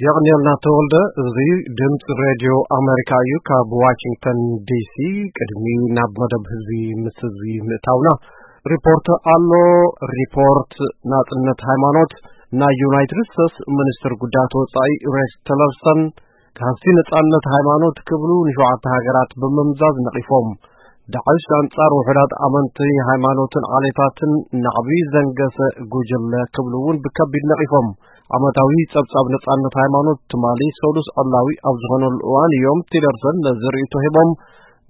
የቕንየልና ተወልደ። እዚ ድምፂ ሬድዮ ኣሜሪካ እዩ። ካብ ዋሽንግተን ዲሲ። ቅድሚ ናብ መደብ ህዝቢ ምስ ህዝቢ ምእታውና፣ ሪፖርት ኣሎ። ሪፖርት ናፅነት ሃይማኖት። ናይ ዩናይትድ ስቴትስ ሚኒስትር ጉዳያት ወፃኢ ሬክስ ቲለርሰን፣ ካህሲ ነጻነት ሃይማኖት ክብሉ ንሸውዓተ ሃገራት ብምምዛዝ ነቒፎም። ዳዕሽ ኣንጻር ውሑዳት ኣመንቲ ሃይማኖትን ዓሌታትን ናዕቢ ዘንገሰ ጉጅለ ክብሉ እውን ብከቢድ ነቒፎም። ዓመታዊ ጸብጻብ ነጻነት ሃይማኖት ትማሊ ሰሉስ ዕላዊ ኣብ ዝኾነሉ እዋን እዮም ቲለርሰን ነዚ ርእይቶ ሂቦም።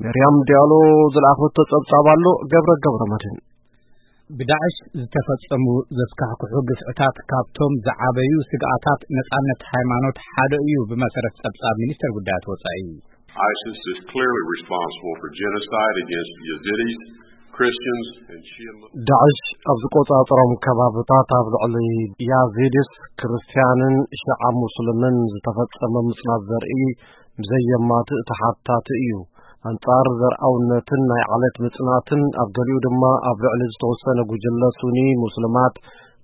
ሜርያም ዲያሎ ዝለኣኸቶ ጸብጻብ ኣሎ። ገብረ ገብረ መድህን። ብዳዕሽ ዝተፈጸሙ ዘስካሕክሑ ግፍዕታት ካብቶም ዝዓበዩ ስግኣታት ነጻነት ሃይማኖት ሓደ እዩ፣ ብመሰረት ጸብጻብ ሚኒስተር ጉዳያት ወጻኢ። ISIS is clearly responsible for genocide against Yazidis, Christians, and Shia Muslims. ዳዕሽ ኣብ ዝቆጻጸሮም ከባብታት ኣብ ልዕሊ ያዚድስ፣ ክርስትያንን ሽዓ ሙስልምን ዝተፈጸመ ምጽናት ዘርኢ ብዘየማትእ ተሓታቲ እዩ። ኣንጻር ዘርኣውነትን ናይ ዓሌት ምጽናትን፣ ኣብ ገሊኡ ድማ ኣብ ልዕሊ ዝተወሰነ ጉጅለ ሱኒ፣ ሙስልማት፣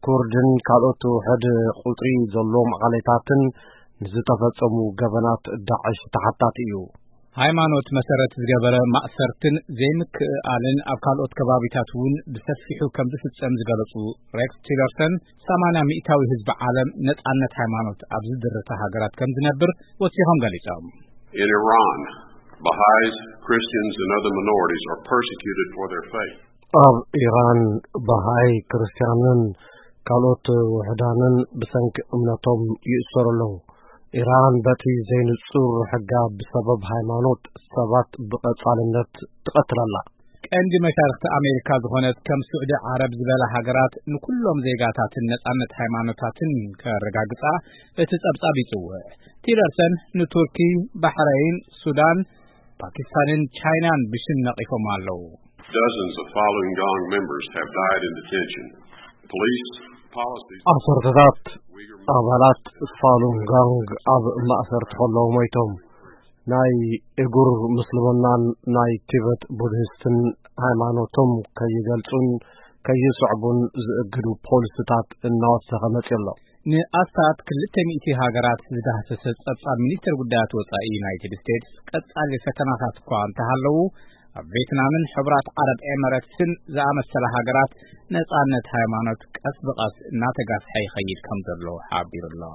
ኩርድን ካልኦት ውሑድ ቁጽሪ ዘለዎም ዓሌታትን ንዝተፈጸሙ ገበናት ዳዕሽ ተሓታቲ እዩ። ሃይማኖት መሰረት ዝገበረ ማእሰርትን ዘይምክእኣልን ኣብ ካልኦት ከባቢታት እውን ብሰፊሑ ከም ዝፍጸም ዝገለጹ ሬክስ ቲለርሰን፣ ሰማንያ ሚእታዊ ህዝቢ ዓለም ነጻነት ሃይማኖት ኣብ ዝድርተ ሃገራት ከም ዝነብር ወሲኾም ገሊጾም። In Iran, Baha'is, Christians, and other minorities are persecuted for their faith. ኣብ ኢራን፣ በሃይ፣ ክርስትያንን ካልኦት ውሑዳንን ብሰንኪ እምነቶም ይእሰሩ ኣለዉ። ኢራን በቲ ዘይንጹር ሕጋ ብሰበብ ሃይማኖት ሰባት ብቐጻልነት ትቐትል ኣላ። ቀንዲ መሻርኽቲ ኣሜሪካ ዝኾነት ከም ስዑዲ ዓረብ ዝበላ ሃገራት ንኩሎም ዜጋታትን ነጻነት ሃይማኖታትን ከረጋግጻ እቲ ጸብጻብ ይጽውዕ። ቲለርሰን ንቱርኪ፣ ባሕረይን፣ ሱዳን፣ ፓኪስታንን ቻይናን ብሽም ነቒፎም ኣለዉ። Dozens of Falun Gong members have died in detention. Police policies. ዓሰርተታት ኣባላት ፋሉን ጋንግ ኣብ ማእሰርቲ ከለዉ ሞይቶም። ናይ እጉር ምስልምናን ናይ ቲበት ቡድሂስትን ሃይማኖቶም ከይገልጹን ከይስዕቡን ዝእግዱ ፖሊስታት እናወሰኸ መጺኡ ኣሎ። ንኣስታት ክልተ ሚእቲ ሃገራት ዝዳህሰሰ ጸብጻብ ሚኒስትር ጉዳያት ወጻኢ ዩናይትድ ስቴትስ፣ ቀጻሊ ፈተናታት እኳ እንተሃለዉ፣ ኣብ ቬትናምን ሕቡራት ዓረብ ኤመረትስን ዝኣመሰላ ሃገራት ነጻነት ሃይማኖት ቀስ ብቐስ እናተጋፍሐ ይኸይድ ከም ዘሎ ሓቢሩ ኣሎ።